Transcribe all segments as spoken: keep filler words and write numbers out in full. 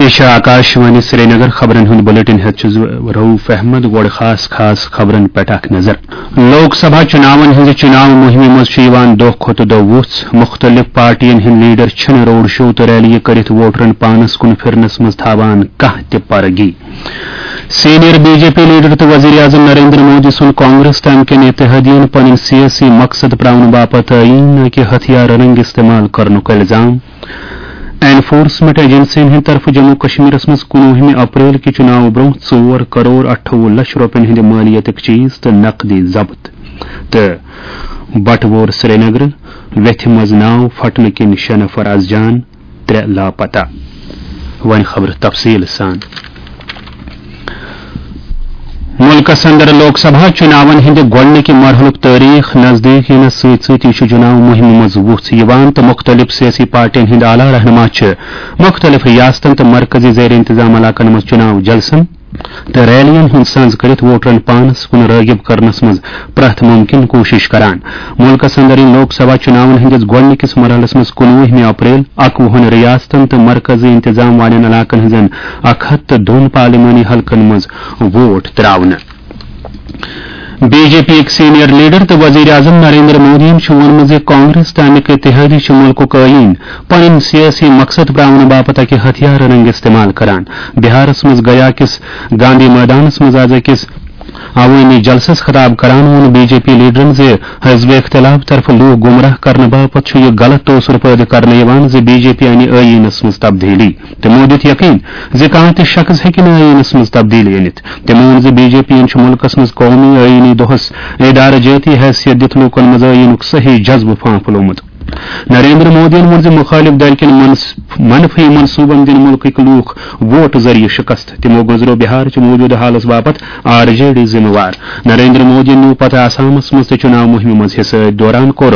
یہِ چھِ آکاشوانی سرینگر۔ خبرن ہُنٛد بلیٹن ہٮ۪تھ چھُس بہٕ رؤف احمد۔ گۄڈٕ خاص خاص خبرن پٮ۪ٹھ اکھ نظر۔ لوک سبھا چُناون ہٕنٛزِ چُناو مُہِمہِ منٛز چھُ یِوان دۄہ کھۄتہٕ دۄہ وُژھ۔ مُختٔلِف پارٹین ہٕنٛدۍ لیڈر چھِنہٕ روڈ شو تہٕ ریلیہِ کٔرِتھ ووٹرن پانس کُن پھِرنس منٛز تھاوان کانٛہہ تہِ پرگی۔ Senior B J P leader تہٕ وزیر اعظم نریندر مودی سُنٛد کانگریس تام کٮ۪ن اتحادین پنٕنۍ سیٲسی مقصد پراونہٕ باپتھ ٲییٖنہٕ کہِ ہتھیار رنگ استعمال کرنُک الزام۔ انفورسمنٹ ایجنسین ہٕنٛدِ طرفہٕ جموں کشمیرس منٛز کُنوُہمہِ اپریل کہِ چُناوٕ برٛونٛہہ ژور کرور اَٹھووُہ لچھ رۄپین ہٕنٛدِ مٲلیتٕکۍ چیٖز تہٕ نقدی ضبط۔ تہٕ بٹوور سرینگر ویتھِ منٛز ناو پھٹنہٕ کِنۍ شےٚ نفر از جان، ترٛےٚ لاپتہ۔ وۄنۍ خبرٕ تفصیٖل سان۔ مُلکس اندر لوک سبھا چُناون ہٕنٛدِ گۄڈٕنِکہِ مرحلُک تٲریخ نزدیٖک یِنس سۭتۍ سۭتۍ چھُ چُناو مُہِمہِ منٛز وُژھ یِوان تہٕ مُختٔلِف سیٲسی پارٹین ہٕنٛدۍ اعلیٰ رہنما چھِ مُختٔلِف ریاستن تہٕ مرکزی زیر انتظام علاقن منٛز چُناو جلسن تہٕ ریلین ہُنٛد سنز کٔرِتھ ووٹرن پانس کُن رٲغب کرنس منٛز پرٛٮ۪تھ مُمکِن کوٗشِش کران۔ مُلکس اندر یِن لوک سبھا چُناون ہٕنٛدِس گۄڈٕنِکِس مرحلس منٛز کُنوُہمہِ اپریل اکوُہن ریاستن تہٕ مرکزی انتظام والٮ۪ن علاقن ہٕنٛزن اکھ ہتھ تہٕ دۄن پارلیمانی حلقن منٛز ووٹ تراونہٕ۔ بی جے پی یِکۍ سینئر لیڈر تہٕ وزیر اعظم نریندر مودیَن چھُ ووٚنمُت زِ کانگریس تہٕ اَمیُک اتحادی چھُ مُلکُک ٲییٖن پنٕنۍ سیٲسی مقصد پراونہٕ باپتھ اکہِ ہتھیار رنگ استعمال کران۔ بہارس منٛز گیا کِس گاندھی مٲدانس منٛز از أکِس عوٲمی جلسس خطاب کران ووٚن بی جے پی لیڈرن زِ حزب اختلاف طرفہٕ لوٗکھ گمراہ کرنہٕ باپتھ چھُ یہِ غلط توثر پٲدٕ کرنہٕ یِوان زِ بی جے پی انہِ ٲییٖنس منٛز تبدیلی۔ تِمو دیُت یقین زِ کانٛہہ تہِ شخص ہیٚکہِ نہٕ ٲییٖنس منٛز تبدیلی أنِتھ۔ تِمو ووٚن زِ بی جے پی یَن چھُ مُلکَس منٛز قومی ٲییٖنی دۄہَس ادارٕ جٲتی حیثیت دِتھ لوٗکَن منٛز ٲییٖنُک صحیح جذبہٕ پھانٛپھلومُت۔ نریندر مودیَن ووٚن زِ مُخٲلِف دَلہِ کٮ۪ن منص-، منفی منصوٗبَن دِن مُلکٕکۍ لوٗکھ ووٹ ذٔریعہٕ شِکست۔ تِمو گٔنٛزرٲو بِہارٕچ موٗجوٗدٕ حالَس باپتھ آر جے ڈی ذِمہٕ وار۔ نریندر مودیَن نیوٗ پتہٕ آسامَس منٛز تہِ چُناو مُہِمہِ منٛز حصہٕ۔ أتھۍ دوران کوٚر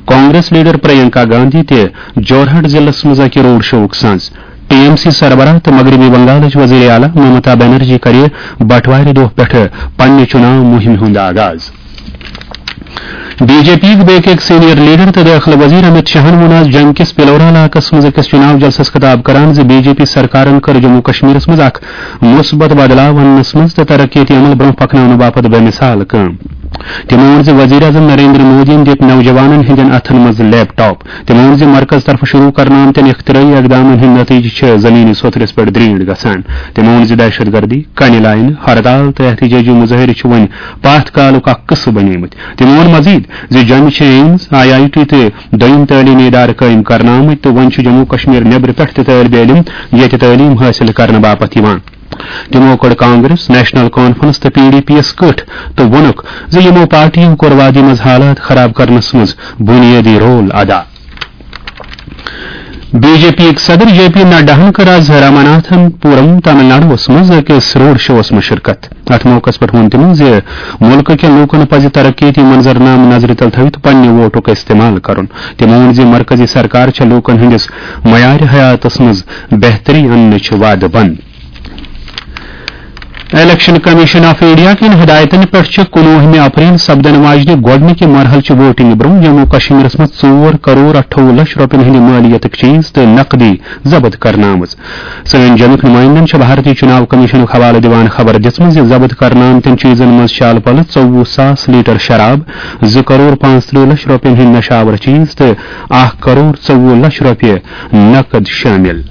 کانگریس لیڈر پرینکا گاندھی تہِ جورہٹ ضلعس منٛز اکہِ روڈ شوُک سنز۔ ٹی ایم سی سربراہ تہٕ مغربی بنگالٕچ وزیر اعلیٰ ممتا بنرجی کرِ بٹوارِ دۄہ پٮ۪ٹھٕ پننہِ چُناو مُہِمہِ ہُنٛد آغاز۔ بی جے پی یِکۍ بیٚیہِ أکۍ سینئر لیڈر تہٕ دٲخلہٕ وزیر امت شاہن ووٚن آز جوٚمہِ کِس پلورہ علاقس منٛز أکِس چُناو جلسس خطاب کران زِ بی جے پی سرکارن کٔر جموں کشمیرس منٛز اکھ مثبت بدلاو اننس منٛز تہٕ ترقیتی عمل برونٛہہ پکناونہٕ باپتھ بے مثال کٲم۔ تِمو ووٚن زِ وزیر اعظم نریندر مودیَن دِتۍ نوجوانَن ہٕنٛدٮ۪ن اَتھَن منٛز لیپ ٹاپ۔ تِمو ووٚن زِ مرکز طرفہٕ شروٗع کرنہٕ آمتٮ۪ن اختراعی اقدامَن ہٕنٛدۍ نتیجہٕ چھِ زمینی سوٚتھرِس پٮ۪ٹھ درینٹھ گژھان۔ تِمو ووٚن زِ دہشت گردی، کنہِ لاینہٕ، ہڑتال تہٕ احتجاجی مظٲہرٕ چھِ وۄنۍ پاتھ کالُک اکھ قٕصہٕ بنیمٕتۍ۔ تِمو ووٚن مزید زِ جوٚمہِ چھِ ایمز، آئی آئی ٹی تہٕ دوٚیِم تعلیمی ادارٕ قٲیِم کرنہٕ آمٕتۍ تہٕ وۄنۍ چھِ جموں کشمیر نیبرٕ پٮ۪ٹھ تہِ طٲلبِ علم ییٚتہِ تعلیٖم حٲصِل کرنہٕ باپتھ یِوان۔ تِمو کٔڑ کانگریس، نیشنل کانفرنس تہٕ پی ڈی پی یَس کٔٹھۍ تہٕ ووٚنُکھ زِ یِمو پارٹیو کوٚر وادی منٛز حالات خراب کرنس منٛز بُنیٲدی رول ادا۔ بی جے پی یِکۍ صدر جے پی نڈاہن کٔر آز راماناتھن پورم تامل ناڈوَس منٛز أکِس روڈ شوَس منٛز شرکت۔ اتھ موقعس پٮ۪ٹھ ووٚن تِمو زِ مُلکہٕ کٮ۪ن لوٗکن پزِ ترقیتی منظرنامہٕ نظرِ تل تھٲوِتھ پننہِ ووٹُک استعمال کرُن۔ تِمو ووٚن زِ مرکزی سرکار چھےٚ لوٗکن ہٕنٛدِس معیارِ حیاتس منٛز بہتری اننٕچ وعدٕ بنٛد۔ الیکشن کمیشن آف انڈیا کٮ۪ن ہدایتن پٮ۪ٹھ چھِ کُنوُہمہِ اپریل سپدن واجنہِ گۄڈٕنِکہِ مرحلچہِ ووٹنگ برونٛہہ جموں کشمیرس منٛز ژور کرور اَٹھووُہ لچھ رۄپین ہٕنٛدِ مٲلیتٕکۍ چیٖز تہٕ نقدی ضبط کرنہٕ آمٕژ۔ سٲنۍ جوٚمِکۍ نُمٲیندَن چھِ بھارتی چُناو کمیشنُک حوالہٕ دِوان خبر دِژمٕژ زِ ضبط کرنہٕ آمتٮ۪ن چیٖزَن منٛز چھِ اَلہٕ پَلہٕ ژوٚوُہ ساس لیٹر شراب، زٕ کرور پانٛژترٕٛہ لچھ رۄپیَن ہٕنٛدۍ نشہٕ آور چیٖز تہٕ اکھ کرور ژوٚوُہ لچھ رۄپیہِ نقد شٲمِل۔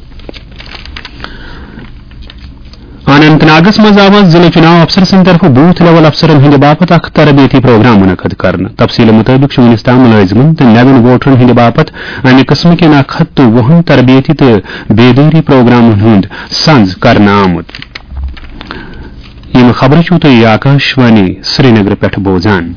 اننت ناگس منٛز آو آز ضلع چُناو افسر سٕنٛدِ طرفہٕ بوتھ لیول افسرن ہٕنٛدِ باپتھ اکھ تربیتی پروگرام منعقد کرنہٕ۔ تفصیلہٕ مُطٲبِق چھُ وُنیُس تام مُلٲزِمن تہٕ نوٮ۪ن ووٹرن ہٕنٛدِ باپتھ امہِ قٕسمہٕ کٮ۪ن اکھ ہتھ تہٕ وُہن تربیتی تہٕ بیدٲری پروگرامن ہُنٛد سنز کرنہٕ آمُت۔ یِم خبرٕ چھِو تُہۍ آکاشوانی سرینگرٕ پٮ۪ٹھ بوزان۔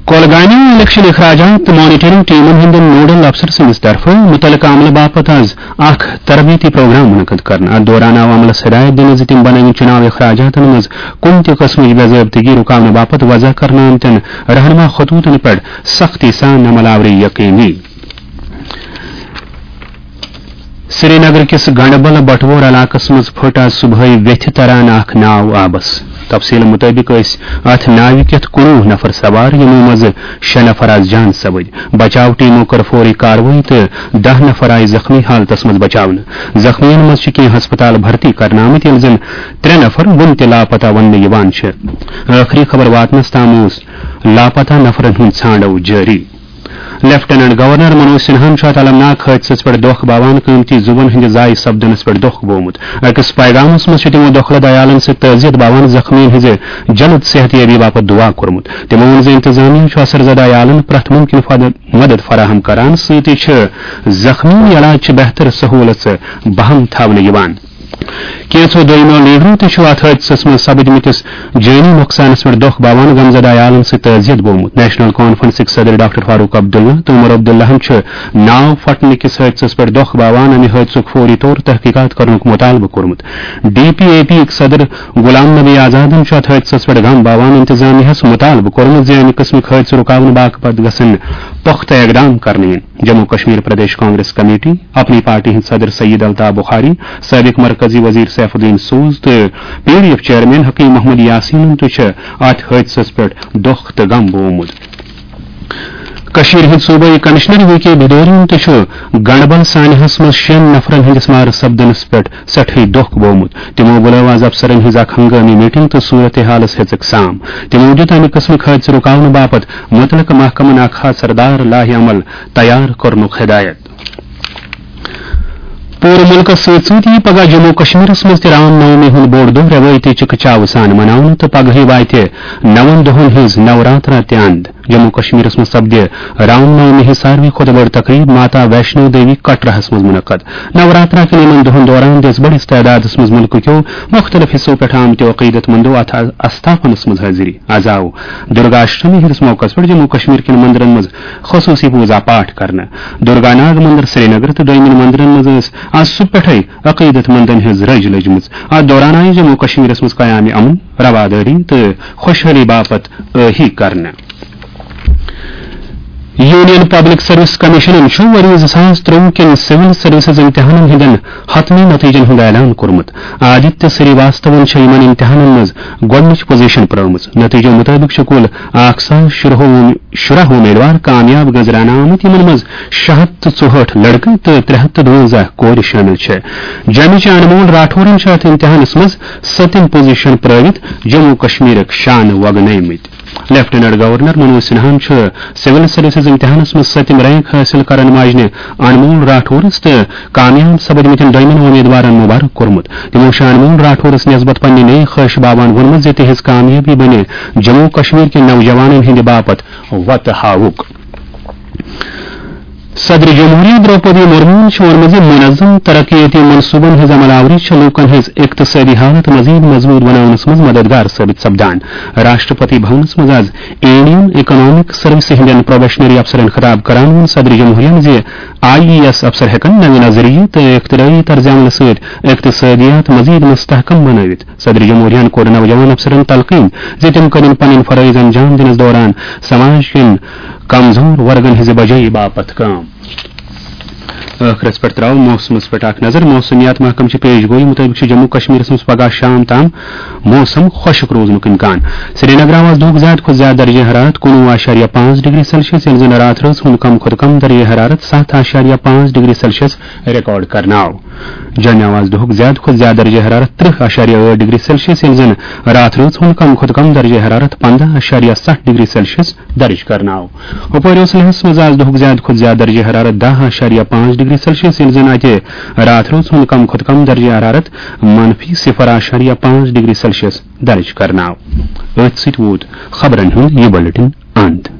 کۄلگامہِ الیکشن اخراجات تہٕ مانیٹرنگ ٹیمن ہٕنٛدٮ۪ن نوڈل افسر سٕنٛدِس طرفہٕ مُتعلقہٕ عملہٕ باپتھ آز اکھ تربیتی پروگرام منعقد کرنہٕ۔ اتھ دوران آو عملس ہدایت دِنہٕ زِ تِم بنٲوِن چُناو اخراجاتن منٛز کُنہِ تہِ قٕسمٕچ بے ضٲبطگی رُکاونہٕ باپتھ وضع کرنہٕ آمتٮ۪ن رہنما خطوطن پٮ۪ٹھ سختی سان عمل آوری یقینی۔ سرینگر کِس گنڈبل بٹوور علاقس منٛز پھٔٹ آز صبحٲے ویتھِ تران اکھ ناو آبس۔ تفصیل مُطٲبِق ٲسۍ اتھ ناوِ کٮ۪تھ کُنوُہ نفر سوار، یِمو منٛزٕ شےٚ نفر آز جان سوٲرۍ۔ بچاو ٹیمو کٔر فوری کاروٲیی تہٕ دَہ نفر آیہِ زخمی حالتس منٛز بچاونہٕ۔ زخمیَن منٛز چھِ کینٛہہ ہسپتال بھرتی کرنہٕ آمٕتۍ، ییٚلہِ زن ترٛےٚ نفر وُنہِ تہِ لاپتہ وننہٕ یِوان چھِ۔ ٲخری خبر واتنس تام اوس لاپتہ نفرن ہُنٛد ژھانڈو جٲری۔ لیفٹیننٹ گورنر منوج سنہاہن چھُ اتھ المناک حٲدثس پٮ۪ٹھ دۄکھ باوان قۭمتی زُوَن ہٕنٛدِ ضایع سپدنس پٮ۪ٹھ دۄکھ بوومُت۔ أکِس پیغامس منٛز چھُ تِمو دۄکھلہٕ عیالن سۭتۍ تعزیت باوان زخمیَن ہٕنٛزِ جلد صحت یابی باپتھ دُعا کوٚرمُت۔ تِمو ووٚن زِ انتظامیہ چھُ اثر زدہ عیالن پرٛٮ۪تھ مُمکِن فد-، مدد فراہم کران، سۭتۍ چھِ زخمیَن علاج چہِ بہتر سہوٗلژٕ بہم تھاونہٕ یِوان۔ کینٛژھو دوٚیمو لیڈرو تہِ چھُ اتھ حٲدثس منٛز سپدمٕتِس جٲنی نۄقصانس پٮ۪ٹھ دۄکھ باوان غمزدہ عیالن سۭتۍ تعزیت بوومُت۔ نیشنل کانفرنسٕکۍ صدر ڈاکٹر فاروق عبداللہ تہٕ عمر عبداللہن چھُ ناو پھٹنہٕ کِس حٲدثس پٮ۪ٹھ دۄکھ باوان امہِ حٲدثُک فوری طور تحقیقات کرنُک مطالبہٕ کوٚرمُت۔ ڈی پی اے پی یِکۍ صدر غلام نبی آزادن چھُ اتھ حٲدثس پٮ۪ٹھ غم باوان انتظامیہس مطالبہٕ کوٚرمُت زِ امہِ قٕسمٕکۍ حٲدثہٕ رُکاونہٕ باپتھ گژھن پختہٕ اقدام کرنہٕ یِنۍ۔ جموں کشمیر پردیش کانگریس کمیٹی، اپنی پارٹی ہٕنٛدۍ صدر سید الطاف بخاری، سٲبق مرکزی وزیر سیف الدین سوز تہٕ P D F chairman Hakim Muhammad یاسینن تہِ چھِ اتھ حٲدثس پٮ۪ٹھ دۄکھ تہٕ غم بوومُت۔ کشمیر ہٕنٛدۍ صوبٲئی کمشنر وی کے بھدورین تہِ چھُ گنڈبل سانحس منٛز شٮ۪ن نفرن ہٕنٛدِس مارٕ سپدنس پٮ۪ٹھ سٮ۪ٹھٕے دۄکھ بوومُت۔ تِمو بُلٲو آز افسرن ہٕنٛز اکھ ہنگٲمی میٹنگ تہٕ صورتحالس ہیژٕکھ سام۔ تِمو دِیُت امہِ قٕسمٕکۍ حٲدثہٕ رُکاونہٕ باپتھ مُتعلقہٕ محکمن اکھ اثردار لائحہ عمل تیار کرنُک ہدایت۔ پوٗرٕ مُلکَس سۭتۍ سۭتۍ یِیہِ پگاہ جموں کشمیرَس منٛز تہِ رام نومی ہُنٛد بوٚڑ دۄہ روٲیتی چِکہٕ چاوٕ سان مناونہٕ تہٕ پگہٕے واتہِ نَوَن دۄہَن ہٕنٛز نوراترا تہِ اند۔ جموں کشمیرَس منٛز سپدِ رام نومی ہٕنٛز ساروی کھۄتہٕ بٔڑ تقریب ماتا ویشنو دیوی کٹراہَس منٛز منعقد۔ نوراترا کٮ۪ن یِمَن دۄہَن دوران دِژ بٔڑِس تعدادَس منٛز مُلکہٕ کیو مُختٔلِف حصو پٮ۪ٹھ آمتیو عقیدت مندو اَتھ آستھانَس منٛز حٲضری۔ آز آو درگا اشٹمی ہٕنٛدِس موقعَس پٮ۪ٹھ جموں کشمیر کٮ۪ن مندرَن منٛز خصوٗصی پوٗزا پاٹھ کرنہٕ۔ درگا ناگ مندر سرینگر تہٕ دوٚیمٮ۪ن مندرن منٛز ٲس آز صبح پٮ۪ٹھے عقیدت مندن ہٕنٛز رٔج لٔجمٕژ۔ اتھ دوران آیہِ جموں کشمیرس منٛز قیام امن، روادٲری تہٕ خۄشحٲلی باپتھ ٲہی کرنہٕ۔ یونین پبلک سروس کمیشنن چھُ ؤری زٕ ساس ترٛۆوُہ کٮ۪ن سول سروسز امتحانن ہٕنٛدٮ۪ن حتمی نتیجن ہُنٛد اعلان کوٚرمُت۔ آدتیہ سری واستون چھےٚ یِمن امتحانن منٛز گۄڈٕنِچ پوزیشن پرٲومٕژ۔ نتیجو مُطٲبِق چھِ کُل اکھ ساس شُراہ وُہ شُراہ امیدوار کامیاب گٔنزراونہٕ آمٕتۍ، یِمن منٛز شےٚ ہتھ تہٕ ژُہٲٹھ لڑکہٕ تہٕ ترٛےٚ ہتھ تہٕ دُوَنزاہ کورِ شٲمِل چھِ۔ جیمہِ چہِ انمول راٹھورن چھِ اتھ امتحانس منٛز سٔتِم پوزیشن پرٲوِتھ جموں کشمیرٕکۍ شانہٕ وۄگنٲومٕتۍ۔ لیفٹیننٹ گورنر منوج سنہاہن چھُ سول سروسز امتحانس منٛز سٔتِم رینک حٲصِل کرن واجنہِ انمول راٹھورس تہٕ کامیاب سپدمٕتٮ۪ن دوٚیمٮ۪ن امیدوارن مبارک کوٚرمُت۔ تِمو چھُ انمول راٹھورس نسبت پننہِ نیک خواہش باوان ووٚنمُت زِ تِہنٛز کامیٲبی بنہِ جموں کشمیر کٮ۪ن نوجوانن ہٕنٛدِ باپتھ وتہٕ ہاوُک۔ صدر جمہوریہ درٛوپدی مرموہن چھُ ووٚنمُت زِ منظم ترقیتی منصوبن ہٕنٛز عمل آوری چھِ لوٗکن ہٕنٛز اقتصٲدی حالت مزید مضبوط بناونس منٛز مددگار ثٲبت سپدان۔ راشٹرپتی بھونس منٛز آز انڈین اکنامک سروسز ہٕنٛدٮ۪ن پروبیشنری افسرن خطاب کران ووٚن صدر جمہوریہن زِ آئی ای ایس افسر ہٮ۪کن نوِ نظریہِ تہٕ اختراعی طرز عملہٕ سۭتۍ اقتصٲدیات مزید مستحکم بنٲوِتھ۔ صدر جمہوریہن کوٚر نوجوان افسرن تلقین زِ تِم کرن پنٕنۍ فرٲیض انجام دِنس دوران سماج کٮ۪ن کمزور ورگن ہٕنٛزِ بجٲیی باپتھ کٲم۔ ٲخرس پٮ۪ٹھ تراوو موسمس پٮ۪ٹھ اکھ نظر۔ موسمیات محکمہٕ چہِ پیش گویی مُطٲبِق چھُ جموں کشمیرس منٛز پگاہ شام تام موسم خۄشک روزنُک امکان۔ سرینگر آو آز دُہُک زیادٕ کھۄتہٕ زیادٕ درجہ حرارت کُنوُہ اعشاریہ پانٛژھ ڈگری سیلسیس، ییٚلہِ زن راتھ رٲژ ہُنٛد کم کھۄتہٕ کم درجہ حرارت ستھ اعشاریہ پانٛژھ ڈگری سیلسیس ریکارڈ کرنہٕ آو۔ جوٚمہِ آو آز دُہُک زیادٕ کھۄتہٕ زیادٕ درجہ حرارت ترٕہ اعشاریہ ٲٹھ ڈگری سیلسیس، ییٚلہِ زن راتھ رٲژ ہُنٛد کم کھۄتہٕ کم درجہ حرارت پنداہ اعشاریہ ستھ ڈگری سیلسیس درج کرنہٕ آو۔ ہُپٲرۍ اوس لیہس منٛز آز دُہُک زیادٕ کھۄتہٕ زیادٕ درجہ حرارت دَہ اعشاریہ پانٛژھ ڈگری سیلسیس، ییٚلہِ زن اتہِ راتھ رٲژ ہُنٛد کم کھۄتہٕ کم درجہ حرارت منفی صفر اعشاریہ پانٛژھ ڈگری سیلسیس درج کرنہٕ آو۔ أتھۍ سۭتۍ ووت خبرن ہُنٛد یہِ بلیٹن اند۔